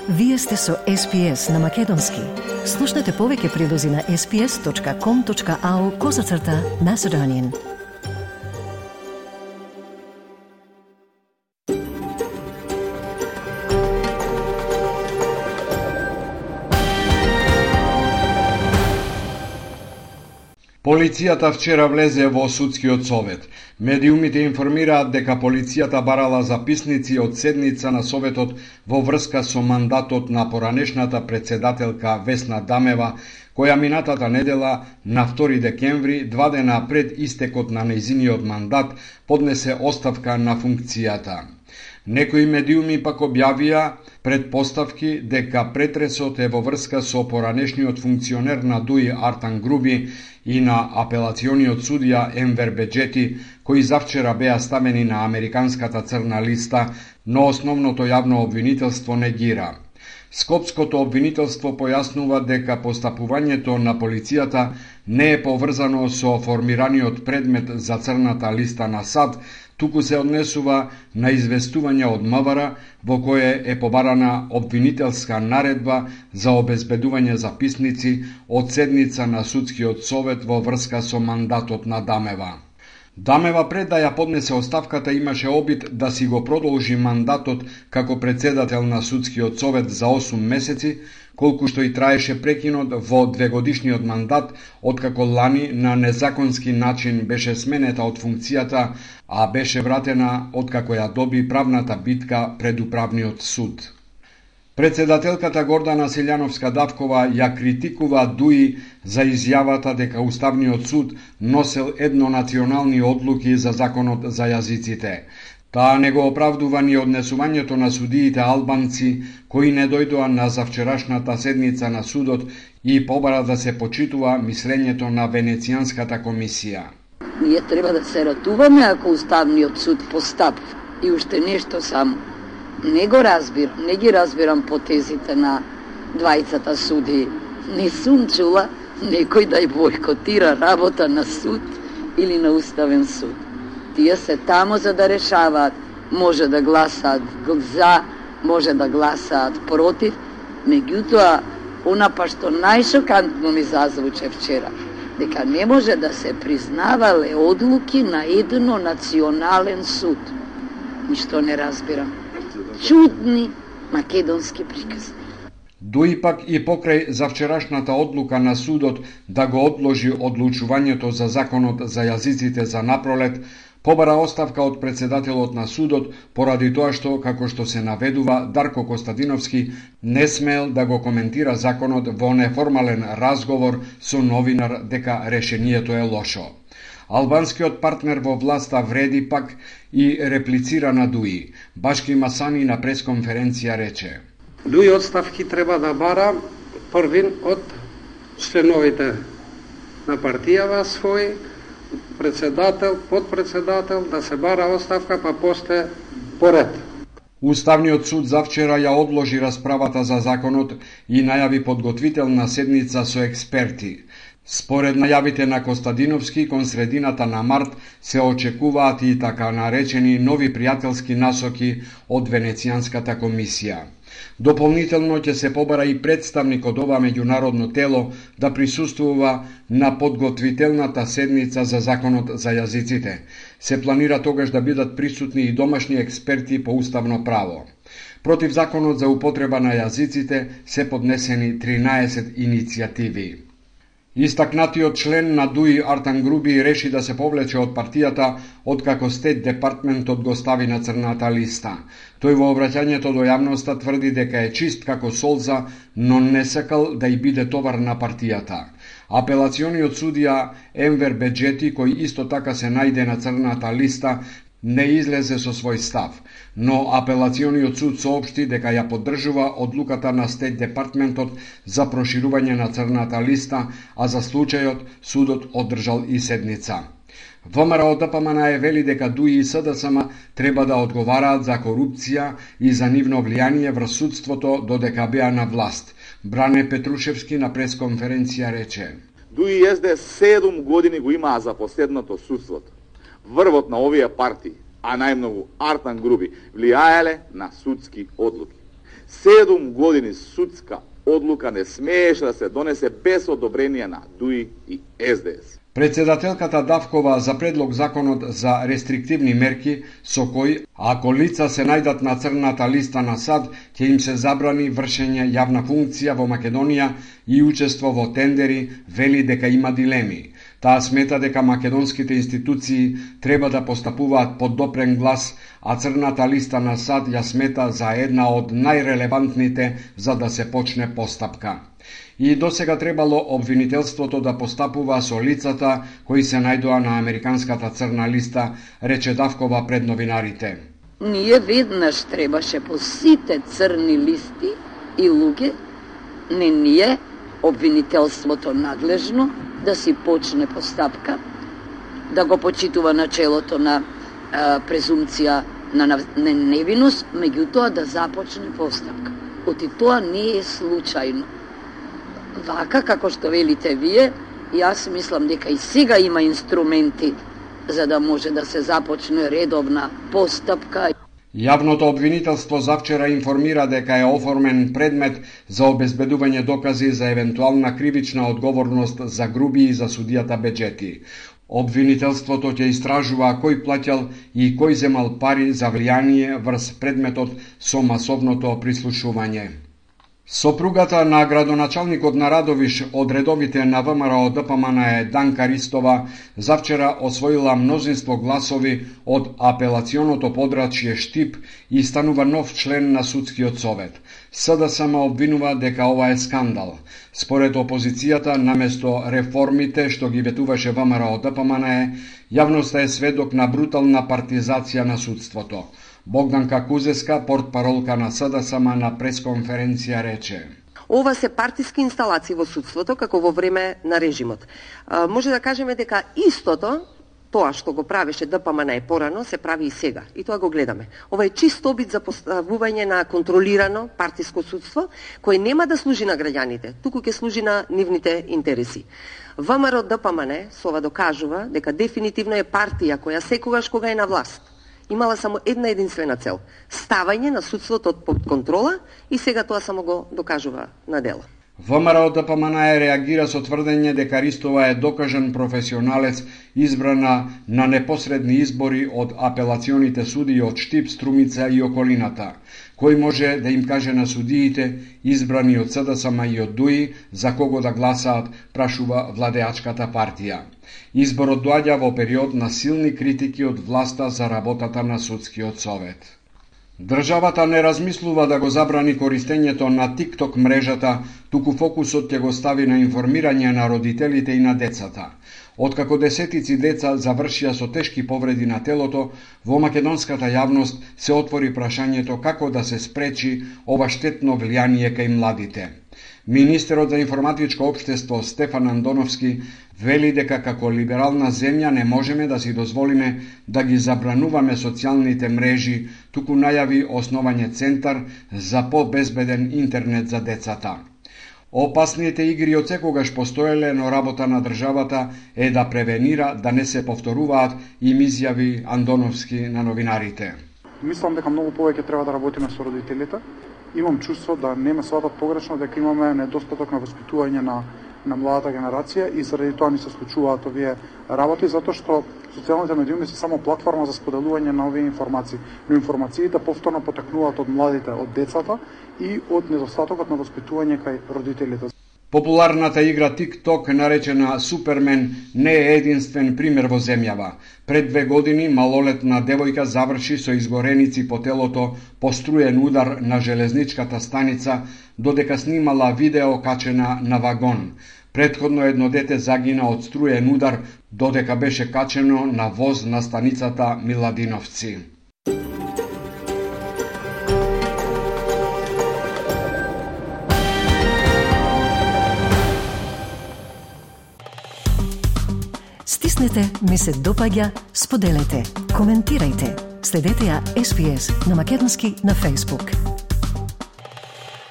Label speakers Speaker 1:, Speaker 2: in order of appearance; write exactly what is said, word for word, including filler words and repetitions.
Speaker 1: Вие сте со Ес Пи Ес на Македонски. Слушнете повеќе прилози на ес пи ес точка ком точка ау козацрта Macedonian.
Speaker 2: Полицијата вчера влезе во судскиот совет. Медиумите информираат дека полицијата барала записници од седница на советот во врска со мандатот на поранешната председателка Весна Дамева, која минатата недела на втори декември, два дена пред истекот на нејзиниот мандат, поднесе оставка на функцијата. Некои медиуми пак објавија предпоставки дека претресот е во врска со поранешниот функционер на ДУИ Артан Груби и на апелациониот судија Енвер Беџети, кои завчера беа ставени на американската црна листа, но основното јавно обвинителство негира. Скопското обвинителство појаснува дека постапувањето на полицијата не е поврзано со формираниот предмет за црната листа на САД, туку се однесува на известување од МВР во кое е побарана обвинителска наредба за обезбедување записници од седница на судскиот совет во врска со мандатот на Дамева. Дамева пред да ја поднесе оставката имаше обид да си го продолжи мандатот како председател на судскиот совет за осум месеци, колку што и траеше прекинот во двегодишниот мандат, откако лани на незаконски начин беше сменета од функцијата, а беше вратена откако ја доби правната битка пред управниот суд. Председателката Гордана Силјановска-Давкова ја критикува ДУИ за изјавата дека Уставниот суд носел еднонационални одлуки за законот за јазиците. Таа не го оправдува ни однесувањето на судиите албанци кои не дојдоа на завчерашната седница на судот и побара да се почитува мислењето на Венецијанската комисија.
Speaker 3: Ние треба да се ратуваме ако Уставниот суд постапи. И уште нешто само. Не го разбирам, не ги разбирам потезите на двајцата суди. Не сум чула некој да ја бойкотира работа на суд или на Уставен суд. Тие се тамо за да решаваат, може да гласаат за, може да гласаат против, меѓутоа, она па што најшокантно ми зазвуче вчера, дека не може да се признавале одлуки на едно национален суд. Ништо не разбирам. Чудни македонски приказни.
Speaker 2: ДУИ пак и покрај завчерашната одлука на судот да го одложи одлучувањето за законот за јазиците за напролет, побара оставка од председателот на судот поради тоа што, како што се наведува, Дарко Костадиновски не смел да го коментира законот во неформален разговор со новинар дека решението е лошо. Албанскиот партнер во власта вреди пак и реплицира на ДУИ. Башки Масани на пресконференција рече:
Speaker 4: ДУИ отставки треба да бара првин од членовите на партијава свој, председател, подпредседател, да се бара оставка, па после поред.
Speaker 2: Уставниот суд завчера ја одложи расправата за законот и најави подготвителна седница со експерти. Според најавите на Костадиновски, кон средината на март се очекуваат и така наречени нови пријателски насоки од Венецијанската комисија. Дополнително ќе се побара и представник од ова меѓународно тело да присуствува на подготвителната седница за законот за јазиците. Се планира тогаш да бидат присутни и домашни експерти по уставно право. Против законот за употреба на јазиците се поднесени тринаесет иницијативи. Истакнатиот член на ДУИ Артан Груби реши да се повлече од партијата откако Стейт департментот го стави на црната листа. Тој во обраќањето до јавноста тврди дека е чист како солза, но не сакал да и биде товар на партијата. Апелациониот судија Енвер Беџети, кој исто така се најде на црната листа, не излезе со свој став, но апелациониот суд соопшти дека ја поддржува одлуката на Стейт департментот за проширување на црната листа, а за случајот судот одржал и седница. ВМРО Д П М Н Е вели дека ДУИ и С Д С М треба да одговараат за корупција и за нивно влијание врз судството додека беа на власт. Бране Петрушевски на пресконференција рече:
Speaker 5: ДУИ и С Д седум години го имаа за последното судството. Врвот на овие партии, а најмногу Артан Груби, влијаеле на судски одлуки. Седум години судска одлука не смееше да се донесе без одобрение на ДУИ и С Д С.
Speaker 2: Председателката Давкова за предлог законот за рестриктивни мерки со кој, ако лица се најдат на црната листа на САД, ќе им се забрани вршење јавна функција во Македонија и учество во тендери, вели дека има дилеми. Таа смета дека македонските институции треба да постапуваат под допрен глас, а црната листа на САД ја смета за една од најрелевантните за да се почне постапка. И досега требало обвинителството да постапува со лицата кои се најдоа на американската црна листа, рече Давкова пред новинарите.
Speaker 3: Ние веднаш требаше по сите црни листи и луѓе, не ние, обвинителството надлежно, да си почне постапка, да го почитува начелото на а, презумција на, на, на невиност, меѓутоа да започне постапка. Оти тоа не е случајно. Вака, како што велите вие, јас мислам дека и сега има инструменти за да може да се започне редовна постапка.
Speaker 2: Јавното обвинителство завчера информира дека е оформен предмет за обезбедување докази за евентуална кривична одговорност за груби и за судијата Беџети. Обвинителството ќе истражува кој плаќал и кој земал пари за влијание врз предметот со масовното прислушување. Сопругата на градоначалникот на Радовиш од редовите на ВМРО Д П М Н е Данка Ристова завчера освоила мнозинство гласови од апелационото подрачје Штип и станува нов член на судскиот совет. С Д С М обвинува дека ова е скандал. Според опозицијата, наместо реформите што ги ветуваше ВМРО Д П М Н, јавноста е сведок на брутална партизација на судството. Богданка Кузеска, портпаролка на С Д С М на пресконференција рече:
Speaker 6: Ова се партиски инсталации во судството, како во време на режимот. А, може да кажеме дека истото, тоа што го правеше Д П М Н порано, се прави и сега. И тоа го гледаме. Ова е чист обид за поставување на контролирано партиско судство, кој нема да служи на граѓаните, туку ќе служи на нивните интереси. ВМРО Д П М Н со ова докажува дека дефинитивно е партија која секогаш кога е на власт имала само една единствена цел – ставање на судството под контрола, и сега тоа само го докажува на дело.
Speaker 2: ВМРО Д П М Н реагира со тврдење дека Ристова е докажан професионалец, избрана на непосредни избори од апелационите суди од Штип, Струмица и околината. Кој може да им каже на судиите, избрани од С Д С М и од ДУИ, за кого да гласаат, прашува владеачката партија. Изборот доаѓа во период на силни критики од власта за работата на судскиот совет. Државата не размислува да го забрани користењето на TikTok мрежата, туку фокусот ќе го стави на информирање на родителите и на децата. Откако десетици деца завршија со тешки повреди на телото, во македонската јавност се отвори прашањето како да се спречи ова штетно влијание кај младите. Министерот за информатичко општество Стефан Андоновски вели дека како либерална земја не можеме да си дозволиме да ги забрануваме социјалните мрежи, туку најави основање центар за побезбеден интернет за децата. Опасните игри од секогаш постоеле, но работа на државата е да превенира да не се повторуваат, им изјави Андоновски на новинарите.
Speaker 7: Мислам дека многу повеќе треба да работиме со родителите. Имам чувство да не ме сватат погрешно дека имаме недостаток на воспитување на на младата генерација и заради тоа ни се случуваат овие работи, затоа што социјалните медиуми се само платформа за споделување на овие информации, но информациите повторно потекнуваат од младите, од децата и од недостатокот на воспитување кај родителите.
Speaker 2: Популарната игра TikTok, наречена Супермен, не е единствен пример во земјава. Пред две години малолетна девојка заврши со изгореници по телото по струен удар на железничката станица, додека снимала видео качена на вагон. Претходно едно дете загина од струен удар, додека беше качено на воз на станицата Миладиновци.
Speaker 1: Стиснете, ми се допаѓа, споделете, коментирајте. Следете ја С Б С на македонски на Facebook.